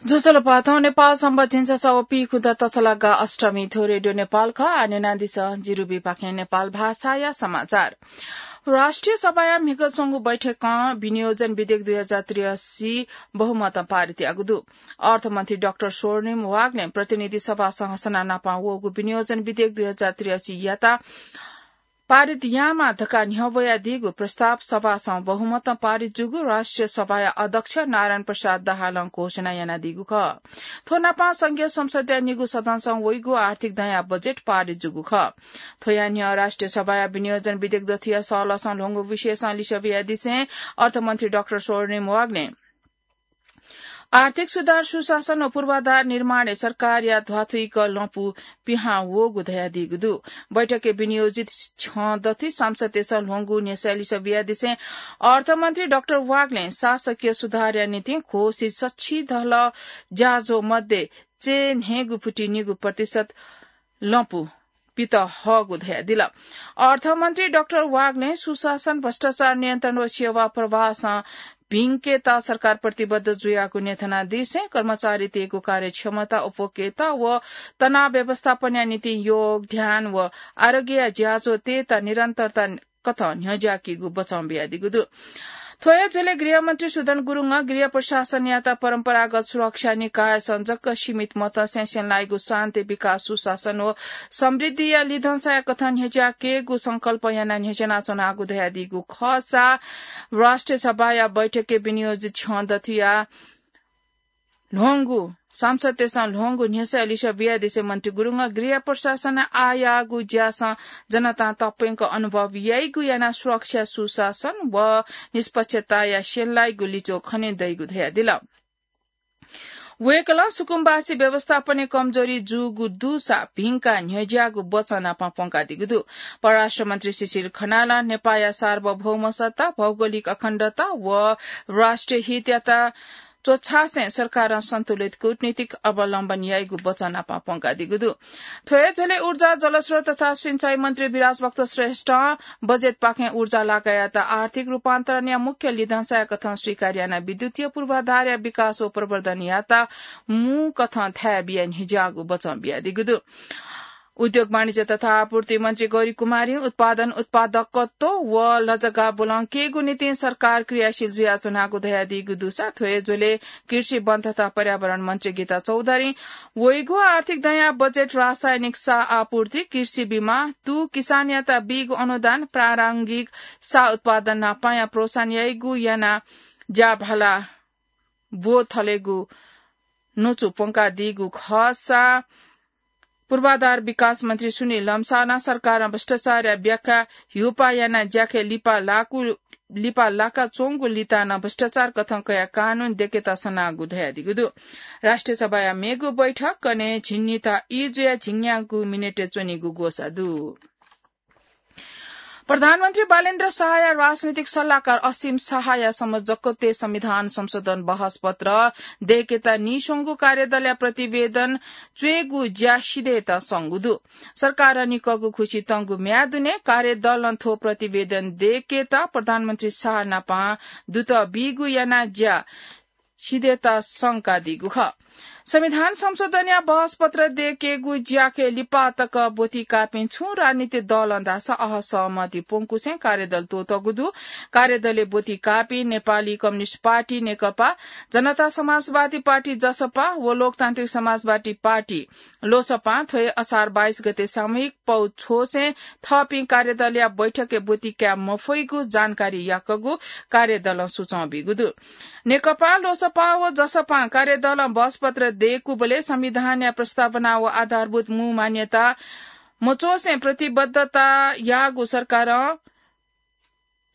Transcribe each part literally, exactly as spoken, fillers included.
ज्वजलपा, थौं नेपाल संवत् झिंछसः व पीखुदँ तछलागा अष्टमी। थ्व रेडियो नेपाल खः। आः न्यनादिसँ जिरुबीपाखें नेपाल भाषाया समाचार। राष्ट्रिय सभाया म्हिगः च्वंगु बैठकं विनियोजन विधेयक दुई हजार त्रियासी बहुमतं पारित याःगु दु। अर्थमन्त्री डाक्टर स्वर्णिम वाग्लें प्रतिनिधि सभासं हसना नापं वःगु विनियोजन विधेयक दुई हजार त्रियासी यात पारित यायेमाः धकाः न्ह्यब्वयादीगु प्रस्ताव सभासं बहुमतं पारित जूगु राष्ट्रिय सभाया अध्यक्ष नारायण प्रसाद दाहालं घोषणा यानादीगु खः। थ्व नापं संघीय संसदया निगू सदनसं वइगु आर्थिक दँया बजेट पारित जूगु खः। थ्वया न्ह्यः राष्ट्रिय सभाया विनियोजन विधेयक दथुया सहलहसं ल्ह्वंगु विषयसं लिसः बियादिसें अर्थमन्त्री डाक्टर स्वर्णिम वाग्लें आर्थिक सुधार, सुशासन व पूर्वाधार निर्माणय् सरकारया ध्वाथुइक लँपु पिहां वःगु धयादीगु दु। बैठकय् विनियोजित छ्यं दथुइ सांसदतय्सं ल्ह्वंगु न्ह्यसःया लिसः बियादिसें अर्थमन्त्री डाक्टर वाग्लें शासकीय सुधारया निंतिं घोषित सछि धल ज्याझ्वः मध्ये चय्न्हय्गू पुति निगू प्रतिशत लँपु पित हःगु धयादिल। अर्थमन्त्री डाक्टर वाग्लें सुशासन, भ्रष्टाचार नियन्त्रण व सेवा प्रवाहसं भिंकेत सरकार प्रतिबद्ध जुयागु न्ह्यथनादिसें कर्मचारीतय्गु कार्यक्षमता, उपभोक्ता व तनाव व्यवस्थापनया निंतिं योग, ध्यान व आरोग्यया ज्याझ्वः तयेत निरन्तरता कथं न्ह्यज्याकीगु बचं बियादीगु दु। थ्व हे झ्वलय् गृहमन्त्री सुदन गुरुङं गृह प्रशासनयात परम्परागत सुरक्षा निकायसं जक सीमित मतसे स्यनालाइगु शान्ति, विकास, सुशासन व समृद्धिया लिधंसाया कथं न्ह्यज्याकेगु संकल्प यानाः न्ह्यज्यानाच्वनागु धयादीगु खःसा राष्ट्रिय सभाया बैठकय् विनियोजित छ्यं दथुया ल्ह्वंगु, सांसदतय्सं ल्ह्वंगु न्ह्यसःया लिसः बियादिसें मन्त्री गुरुङं गृह प्रशासनय् आः याःगु ज्यासं जनतां तप्यंक अनुभव याइगु यानाः सुरक्षा, सुशासन व निष्पक्षताया स्यनालाइगु लिच्वः खने दइगु धयादिल। वय्कलं सुकुम्बासी व्यवस्थापनय् कमजोरी जूगु दुसा भिंकाः न्ह्यज्याःगु बचं नापं प्वंकादीगु दु। परराष्ट्र मन्त्री शिशिर खनालं नेपाःया सार्वभौम सत्ता, भौगोलिक अखण्डता व राष्ट्रिय हितयात च्वछासें सरकारं सन्तुलित कूटनीतिक अवलम्बन याइगु बचं नापं प्वंकादीगु दु। थ्व हे झ्वलय् ऊर्जा, जलस्रोत तथा सिँचाइ मन्त्री विराज भक्त श्रेष्ठं बजेटपाखें ऊर्जा लागायात आर्थिक रूपान्तरणया मुख्य लिधंसाया कथं स्वीकार यानाः विद्युतीय पूर्वाधारया विकास व प्रवर्धनयात मू कथं थाय् बियाः न्ह्यज्याःगु बचं बियादीगु दु। उद्योग, वाणिज्य तथा आपूर्ति मन्त्री गौरी कुमारीं उत्पादन, उत्पादकत्व व लजगाः ब्वलंकेगु निंतिं सरकार क्रियाशील जुयाच्वनागु धयादीगु दुसा थ्व हे झ्वलय् कृषि, वन तथा पर्यावरण मन्त्री गीता चौधरीं वइगु आर्थिक दँया बजेट रासायनिक साः आपूर्ति, कृषि बिमा, तू किसानयात बीगु अनुदान, प्रारम्भिक साः उत्पादन नापंया प्रोत्साहन याइगु यानाः ज्याभाला ब्व थलेगु न्वचु प्वंकादीगु खःसा पूर्वाधार विकास मन्त्री सुनिल लम्सालं सरकारं भ्रष्टाचारया व्याख्या ह्यूपाः यानाः ज्याखँय् लिपा लाकु, लिपा लाकाच्वंगु लितां नं भ्रष्टाचार कथं कयाः कानून दय्केत सनागु धयादीगु दु। राष्ट्रिय सभाया मेगु बैठक कन्हय् झिंनिता ई जुयाः झिंन्यागू मिनेटय् च्वनीगु ग्वसाः दु। प्रधानमन्त्री बालेन्द्र शाहया राजनैतिक सल्लाहकार असीम शाहया संयोजकत्वय् संविधान संशोधन बहसपत्र दय्केत नीस्वंगु कार्यदलया प्रतिवेदन च्वयेगु ज्या सिधयेत संगु दु। सरकारं निकःगु खुसि तंगु म्याद दुने कार्यदलं थ्व प्रतिवेदन दय्केत प्रधानमन्त्री शाह नापं दुत बीगु यानाः ज्या सिधयेत संकादीगु खः। संविधान संशोधनया बहसपत्र दय्केगु ज्याखँय् लिपा तक ब्वति काःपिं छुं राजनीतिक दलं धाःसा अहसहमति प्वंकुसें कार्यदल त्वःतःगु दु। कार्यदलय् ब्वति काःपिं नेपाली कम्युनिस्ट पार्टी नेकपा, जनता समाजवादी पार्टी जसपा व लोकतान्त्रिक समाजवादी पार्टी लोसपां थ्व हे असार बाइस गते सामूहिक पौ छ्वसें थःपिं कार्यदलया बैठकय् ब्वति काये मफइगु जानकारी याकःगु कार्यदलं सुचं बीगु दु। नेकपा, लोसपा व जसपां कार्यदलं बहसपत्र दय्कूबलय् संविधानया प्रस्तावना व आधारभूत मू मान्यता मच्वसें प्रतिबद्धता याःगु सरकारं,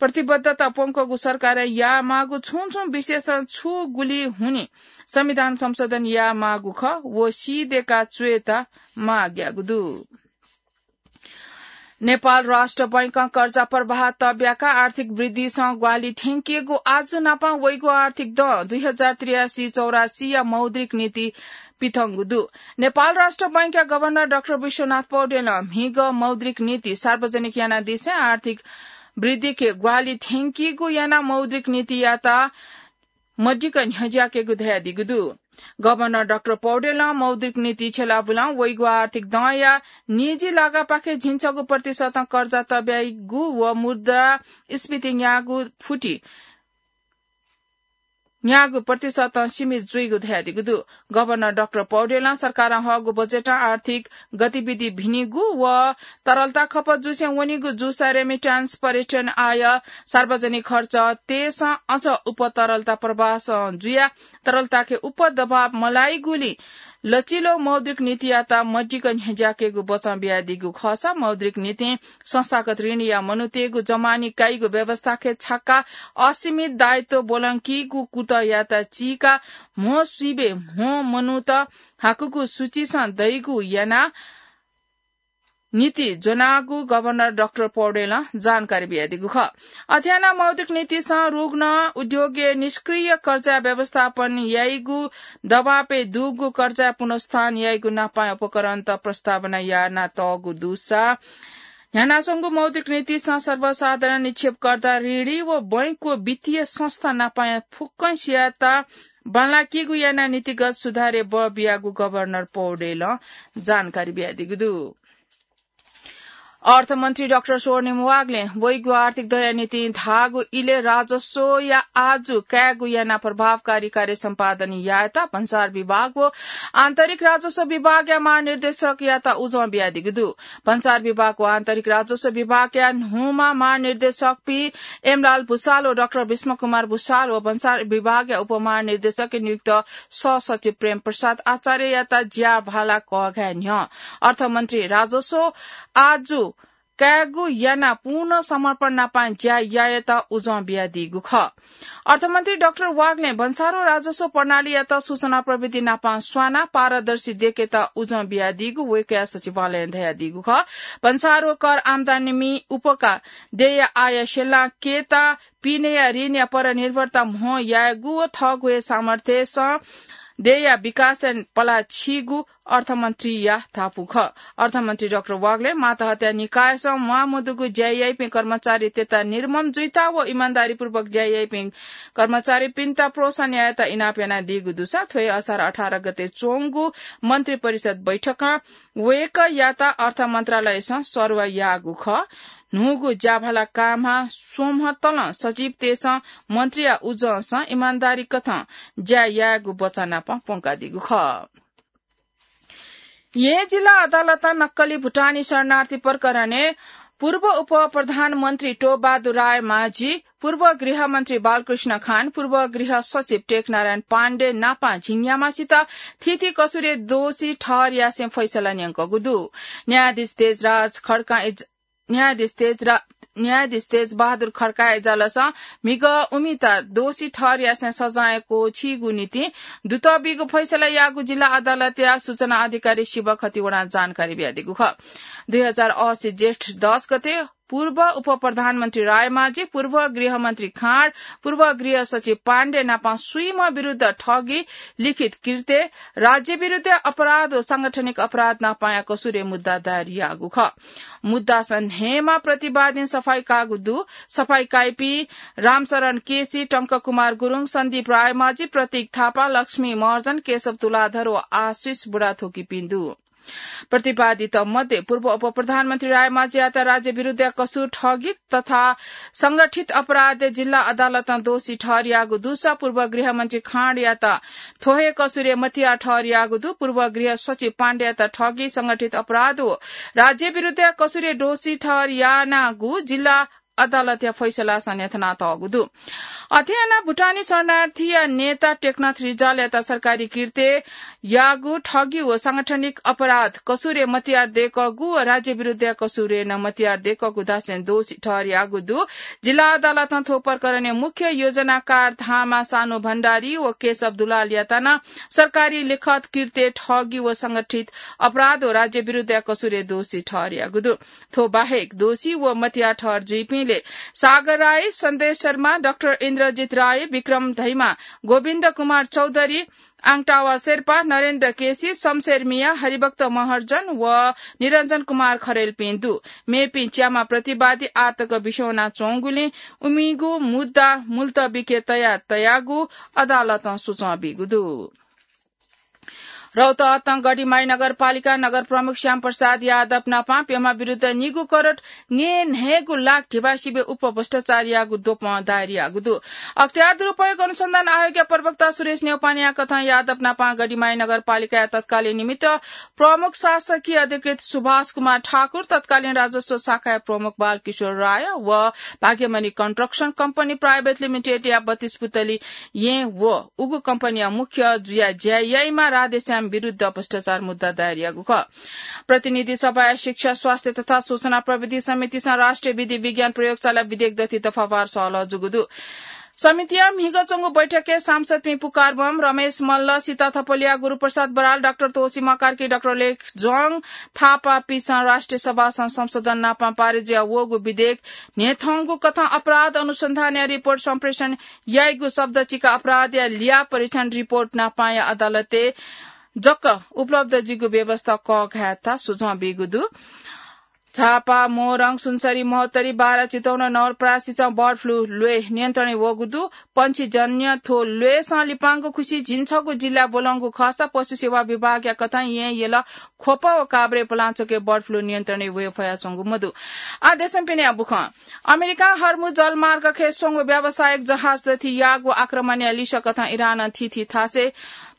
प्रतिबद्धता प्वंकःगु सरकारं यायेमाःगु छुं छुं विषयसं छु गुलि हुनिं संविधान संशोधन यायेमाःगु खः व सिधय्का च्वयेत माग याःगु दु। नेपाल राष्ट्र बैंकं कर्जा प्रवाह तब्याकाः आर्थिक वृद्धिसं ग्वाहालि थ्यंकीगु आजु नापं वइगु आर्थिक दँ दुई हजार त्रियासी चौरासीया मौद्रिक नीति पिथंगु दु। नेपाल राष्ट्र बैंकया गभर्नर डाक्टर विश्वनाथ पौडेलं म्हिगः मौद्रिक नीति सार्वजनिक यानादिसें आर्थिक वृद्धिके ग्वाहालि थ्यंकीगु यानाः मौद्रिक नीतियात मदिक्क न्ह्यज्याकेगु धयादीगु दु। गभर्नर डाक्टर पौडेलं मौद्रिक नीति छ्यलाबुलं वइगु आर्थिक दँया निजी लागापाखे झिंछगू प्रतिशतं कर्जा तब्याइगु व मुद्रास्फीति न्यागू फुति न्यागू प्रतिशतं सीमित जुइगु धयादीगु दु। गभर्नर डाक्टर पौडेलं सरकारं हःगु बजेटं आर्थिक गतिविधि भिनिगु व तरलता खपत जुसें वनीगु जूसा remittance, पर्यटन आय, सार्वजनिक खर्च तयेसं अझ उप तरलता प्रवाहसं जुया तरलताखे उप दबाव मलाइगुलिं लचिलो मौद्रिक नीतियात मदिक्क न्ह्यज्याकेगु बचं बियादीगु खःसा मौद्रिक नीतिं संस्थागत ऋणया मनूतय्गु जमानी काइगु व्यवस्थाखे छाका असीमित दायित्व ब्वलंकीगु कुतःयात चीका म्हो स्वीबे म्हो मनूत हाकुगु सूचीसं दइगु याना नीति ज्वनागु गभर्नर डाक्टर पौडेलं जानकारी बियादीगु खः। अथे यानाः मौद्रिक नीतिसं रुग्ण उद्योगय् निष्क्रिय कर्जा व्यवस्थापन याइगु दबावय् दुगु कर्जा पुनरुत्थान याइगु नापाया उपकरणत प्रस्तावना यानातःगु दुसा न्ह्यानाच्वंगु मौद्रिक नीतिसं सर्वसाधारण निक्षेपकर्ता, ऋणी व बैंक व वित्तीय संस्था नापाया फुक्कसियात बांलाकीगु यानाः नीतिगत सुधारय् बः बियागु गभर्नर पौडेलं जानकारी बियादीगु दु। अर्थमन्त्री डाक्टर स्वर्णिम वाग्लें वइगु आर्थिक दँया निंतिं धाःगु इलय् राजस्वया आजु कायेगु यानाः प्रभावकारी कार्य सम्पादन यायेत भन्सार विभाग व आन्तरिक राजस्व विभागया महानिर्देशकयात उजं बियादीगु दु। भन्सार विभाग व आन्तरिक राजस्व विभागया न्हूम्ह महानिर्देशकपिं एमलाल भुसाल व डाक्टर भीष्म कुमार भुसाल व भन्सार विभागया उपमहानिर्देशक नियुक्त सहसचिव प्रेम प्रसाद आचार्ययात ज्याभाला कःघाये न्ह्यः अर्थमन्त्री राजस्व आजु कायेगु यानाः पूर्ण समर्पण नापं ज्या यायेत उजं बियादीगु खः। अर्थमन्त्री डाक्टर वाग्लें भन्सार व राजस्व प्रणालीयात सूचना प्रविधि नापं स्वानाः पारदर्शी देकेत उजं बियादीगु वय्कःया सचिवालयं धयादीगु खः। भन्सार व कर आम्दानी उपका देय्या आय स्यंकेत पिनेया ऋणया परनिर्भरता म्हो यायेगु व थःगु हे सामर्थ्यसं देय्या विकासय् पलाः छीगु अर्थमन्त्रीया धापू खः। अर्थमन्त्री डाक्टर वाग्लें मातहतया निकायसं म्वाःमदुगु ज्या याइपिं कर्मचारीतय्त निर्मम जुइता व इमानदारीपूर्वक ज्या याइपिं कर्मचारीपिन्त प्रोत्साहन यायेत इनाप यानादीगु दुसा थ्व हे असार अठार गते च्वंगु मन्त्री परिषद बैठकं वय्कःयात अर्थ मन्त्रालयसं सरुवा याःगु खः। न्हूगु ज्याभाला कायेमाः स्वम्ह तलं सचिवतय्सं मन्त्रीया उजंसं इमानदारी कथं ज्या यायेगु वचन नापं प्वंकादीगु खः। येँ जिल्ला अदालतं नक्कली भुटानी शरणार्थी प्रकरणय् पूर्व उपप्रधानमन्त्री टोबहादुर रायमाझी, पूर्व गृहमन्त्री बालकृष्ण खान, पूर्व गृह सचिव टेकनारायण पाण्डे नापं झिंन्याम्हसित थीथी कसुरय् दोषी ठहर यासें फैसला न्यंकूगु दु। न्यायाधीश तेजराज खड्कां इज-, न्यायाधीश तेजरा-, न्यायाधीश तेजबहादुर खड्काया इजलासं म्हिगः उमित दोषी ठहर यासें सजाँय क्वःछीगु निंतिं दुतः बीगु फैसला याःगु जिल्ला अदालतया सूचना अधिकारी शिव खतिवडां जानकारी बियादीगु खः। दुई हजार असी जेठ दस गते पूर्व उपप्रधानमन्त्री रायमाझी, पूर्व गृहमन्त्री खाँड, पूर्व गृह सचिव पाण्डे नापं स्वीम्ह विरुद्ध ठगी, लिखित कृत्य, राज्य विरुद्ध अपराध व सांगठनिक अपराध नापंया कसुरय् मुद्दा दायर याःगु खः। मुद्दासं न्हय्मा प्रतिवादीं सफाई काःगु दु। सफाई काइपिं रामशरण केसी, टंककुमार गुरुङ, सन्दीप रायमाझी, प्रतीक थापा, लक्ष्मी महर्जन, केशव तुलाधर व आशिष बुढाथोकीपिं दु। प्रतिवादीत मध्ये पूर्व उपप्रधानमन्त्री रायमाझीयात राज्य विरुद्धया कसुर ठगी तथा संगठित अपराधय् जिल्ला अदालतं दोषी ठहर याःगु दुसा पूर्व गृहमन्त्री खाँडयात थ्व हे कसुरय् मतियार ठहर याःगु दु। पूर्व गृह सचिव पाण्डेयात ठगी, संगठित अपराध व राज्य विरुद्धया कसुरय् दोषी ठहर यानागु जिल्ला अदालतया फैसलासं न्ह्यथनातःगु दु। अथे यानाः भुटानी शरणार्थीया नेता टेकनाथ रिजालयात सरकारी कृत्य याःगु, ठगी व सांगठनिक अपराध कसुरय् मतियार दय्कःगु व राज्य विरुद्धया कसुरय् नं मतियार दय्कःगु धासें दोषी ठहर याःगु दु। जिल्ला अदालतं थ्व प्रकरणय् मुख्य योजनाकार धामा सानु भण्डारी व केशव दुलालयात नं सरकारी लिखत कृत्य, ठगी व संगठित अपराध व राज्य विरुद्धया कसुरय् दोषी ठहर याःगु दु। थ्व बाहेक दोषी व मतियार ठहर जुइपिंलय् सागर राई, सन्देश शर्मा, डाक्टर इन्द्रजित राई, विक्रम धैमा, गोविन्द कुमार चौधरी, आङटावा शेर्पा, नरेन्द्र केसी, शमशेर मियाँ, हरिभक्त महर्जन व निरञ्जन कुमार खरेलपिं दु। मेपिं च्याम्ह प्रतिवादी आःतक बिस्युं वनाच्वंगुलिं उमिगु मुद्दा मुल्तबीके तया तयागु अदालतं सुचं बीगु दु। रौतहट गढीमाई नगरपालिका नगर प्रमुख श्याम प्रसाद यादव नापं प्यम्ह विरुद्ध निगू करोड न्यय्न्हय्गू लाख धिबा सिबें उपभ्रष्टाचार याःगु द्वपं दायर याःगु दु। अख्तियार दुरुपयोग अनुसन्धान आयोगया प्रवक्ता सुरेश न्यौपानेया कथं यादव नापं गढीमाई नगरपालिकाया तत्कालीन निमित्त प्रमुख शासकीय अधिकृत सुभाष कुमार ठाकुर, तत्कालीन राजस्व शाखाया प्रमुख बालकिशोर राय व भाग्यमणि कन्स्ट्रक्सन कम्पनी प्राइभेट लिमिटेडया बत्तीस पुतली येँ व उगु कम्पनीया मुख्य जुया ज्या याइम्ह राधेश्याम विरुद्ध भ्रष्टाचार मुद्दा दायर याःगु खः। प्रतिनिधि सभाया शिक्षा, स्वास्थ्य तथा सूचना प्रविधि समितिसं राष्ट्रिय विधि विज्ञान प्रयोगशाला विधेयक दथि दफावार सहलह जूगु दु। समितिया म्हिगः च्वंगु बैठकय् सांसदपिं पुकार बम, रमेश मल्ल, सीता थपलिया, गुरुप्रसाद बराल, डाक्टर तोसीमा कार्की, डाक्टर लेख ज्वङ थापापिसं राष्ट्रिय सभासं संशोधन नापं पारित जुया वःगु विधेयक न्ह्यथंगु कथं अपराध अनुसन्धानया रिपोर्ट सम्प्रेषण याइगु शब्द चिका अपराधया लिया परीक्षण रिपोर्ट नापंया अदालतय् जक उपलब्ध जुइगु व्यवस्था कःघायेत सुझाव बीगु दु। झापा, मोरङ, सुनसरी, महोत्तरी, बारा, चितवन, नवलपरासीसं बर्ड फ्लू ल्वय् नियन्त्रणय् वःगु दु। पंक्षीजन्य थ्व ल्वय्सं लिपांगु खुसि झिंछगू जिल्लाय् ब्वलंगु खःसा पशु सेवा विभागया कथं येँ, यल, ख्वप व काभ्रे पलांचोकय् बर्ड फ्लू नियन्त्रणय् वये फयाच्वंगु मदु। आः देशं पिनेया बुखँ। अमेरिकां हर्मुज जलमार्गखे स्वंगु व्यावसायिक जहाज दथि याःगु आक्रमणया लिसः कथं इरानं थीथी थासय्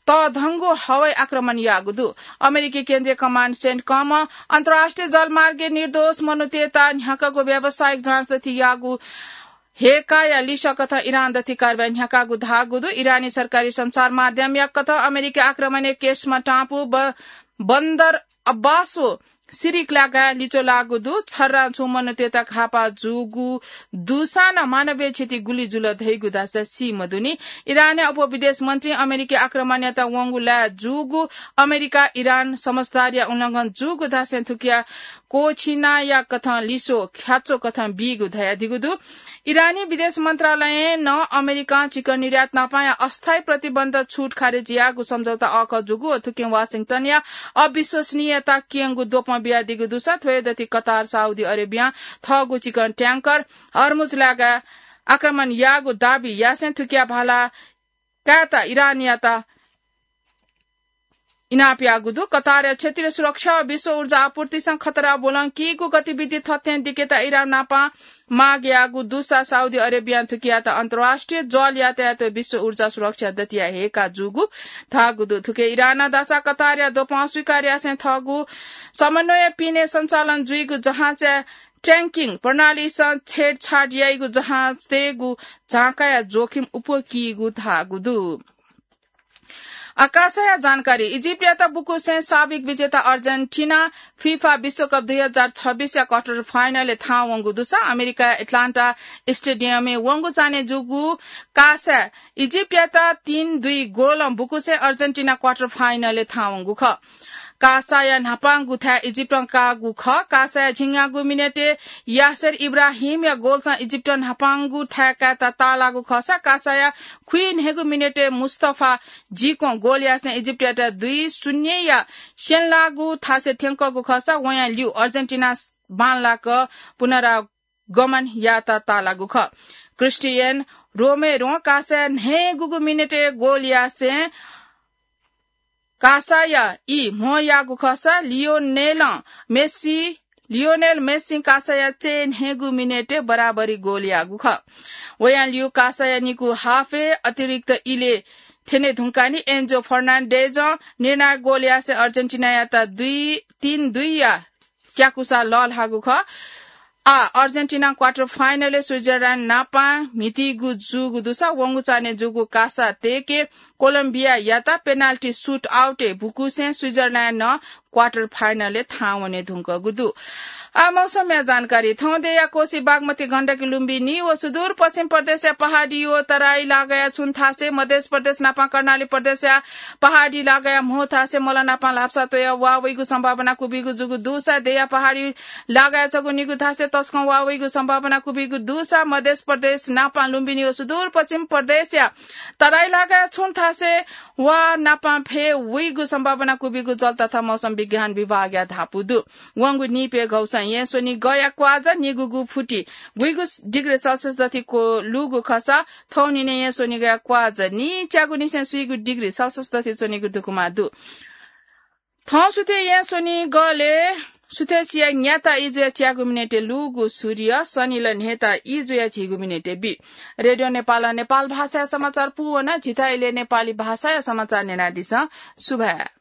तःधंगु हवाई आक्रमण याःगु दु। अमेरिकी केन्द्रीय कमान्ड सेन्टकमं अन्तर्राष्ट्रिय जलमार्गय् निर्दोष मनूतय्त न्ह्याकागु व्यावसायिक जहाज दथि याःगु हेकाया लिसः कथं इरान दथि कारवाही न्ह्याकागु धाःगु दु। इरानी सरकारी सञ्चार माध्यमया कथं अमेरिकी आक्रमणय् केस्मा टापु, ब-, बन्दर अब्बास व सिरिक लागाय् लिच्वः लाःगु दु। छर्रां छुं मनूतय्त घाःपाः जूगु दुसां नं मानवीय क्षति गुलि जुल धइगु धाःसा सी मदुनि। इरानया उपविदेश मन्त्रीं अमेरिकी आक्रमणयात वंगु लाय् जूगु अमेरिका इरान समझदारीया उल्लंघन जूगु धासें थुकिया क्वःछिनाया कथं लिसः ख्याच्वः कथं बीगु धयादीगु दु। इरानी विदेश मन्त्रालयं नं अमेरिकां चिकन निर्यात नापंया अस्थायी प्रतिबन्ध छुट खारेज याःगु सम्झौता अःखः जूगु व थुकिं वाशिंटनया अविश्वसनीयता क्यंगु द्वपं बियादीगु दुसा थ्वय् दथि कतार, साउदी अरेबियां थःगु चिकन ट्याङ्कर हर्मुज लागाय् आक्रमण याःगु दाबी यासें थुकिया भाला कायेत इरानयात इनाप याःगु दु। कतारया क्षेत्रीय सुरक्षा व विश्व ऊर्जा आपूर्तिसं खतरा ब्वलंकीगु गतिविधि थथें दिकेत इरान नापं माग याःगु दुसा साउदी अरेबियां थुकियात अन्तर्राष्ट्रिय जल यातायात व विश्व ऊर्जा सुरक्षा दतिया हेका जूगु धाःगु दु। थुके इरानं दासा कतारया द्वपं अस्वीकार यासें थःगु समन्वय पिने सञ्चालन जुइगु जहाजया ट्याङ्किङ प्रणालीसं छेडछाड याइगु जहाजतय्गु झांकाया जोखिम उप्वकीगु धाःगु दु। आकाशया जानकारी। इजिप्टयात बुकुसें साबिक विजेता अर्जेन्टिना फिफा विश्वकप दुई हजार छब्बीसया क्वार्टर फाइनलय् थाहां वंगु दुसा अमेरिकाया एटलान्टा स्टेडियमय् वंगु चान्हय् जूगु कासाय् इजिप्टयात तीन दुई गोलं बुकुसें अर्जेन्टिना क्वार्टर फाइनलय् थाहां वंगु खः। कासाया न्हापांगु थाय् इजिप्टं काःगु खः। कासाया झिंन्यागू मिनेटय् यासेर इब्राहिमया गोलसं इजिप्टं न्हापांगु थाय् कायेत ताःलाःगु खःसा कासाया खुइन्हय्गू मिनेटय् मुस्तफा जिकों गोल यासें इजिप्टयात दुई शून्यया स्यंलाःगु थासय् थ्यंकःगु खःसा वयां ल्यू अर्जेन्टिना बांलाक पुनरागमन यायेत ताःलाःगु खः। क्रिस्टियन रोमेरों कासाया न्हय्गूगु मिनेटय् गोल यासें कासाया ई म्हो याःगु खःसा लियोनेलं मेस्सी, लियोनेल मेस्सीं कासाया चय्न्हय्गू मिनेटय् बराबरी गोल याःगु खः। वयां ल्यू कासाया निकू हाफय् अतिरिक्त इलय् थ्यने धुंकाः नि एन्जो फर्नान्डेजं निर्णायक गोल यासें अर्जेन्टिनायात दुई, तीन दुईया क्याकुसा लःल्हाःगु खः। आः अर्जेन्टिना क्वार्टर फाइनलय् स्विजरल्याण्ड नापं म्हितीगु जूगु दुसा वंगु चान्हय् जूगु कासा तय्के कोलम्बियायात पेनाल्टी सुट आउटय् बुकुसें स्विजरल्याण्डं क्वार्टर फाइनलय् थाहां वने धुंकूगु दु। आः मौसमया जानकारी। थौंदेया कोसी, बागमती, गण्डकी, लुम्बिनी व सुदूरपश्चिम प्रदेशया पहाडी व तराई लागाया छुं थासय्, मधेश प्रदेश नापं कर्णाली प्रदेशया पहाडी लागाया म्हो थासय् मल नापं ल्हापसा त्वया वा वइगु सम्भावना कुबिगु जूगु दुसा देया पहाडी लागाया छगू निगू थासय् तसकं वा वइगु सम्भावना कुबिगु दुसा मधेश प्रदेश नापं लुम्बिनी व सुदूरपश्चिम प्रदेशया तराई लागाया छुं थासय् वा नापं फय् वइगु सम्भावना कुबिगु जल तथा मौसम विज्ञान विभागया धापू दु। वंगु निपय् घौसं येँ स्वनिगःया क्वाःझ निगूगु फुति गुइगु डिग्री सेल्सियस दथि क्वलूगु खःसा थौंनिनय् येँ स्वनिगःया क्वाःझ निच्यागू निसें स्वीगू डिग्री सेल्सियस दथि च्वनीगु धुकुमा दु। थौं सुथय् येँ स्वनी गलय् सुथय् सिया न्याता इजुया च्यागु मिनेटय् लूगु सूर्य, सनिल न्हेता इजुया झीगु मिनेटय् बी। रेडियो नेपालं नेपाल भाषाया समाचार पूवना। झीथाय् इलय् नेपाली भाषाया समाचार न्यनादिसँ। सुभाय्।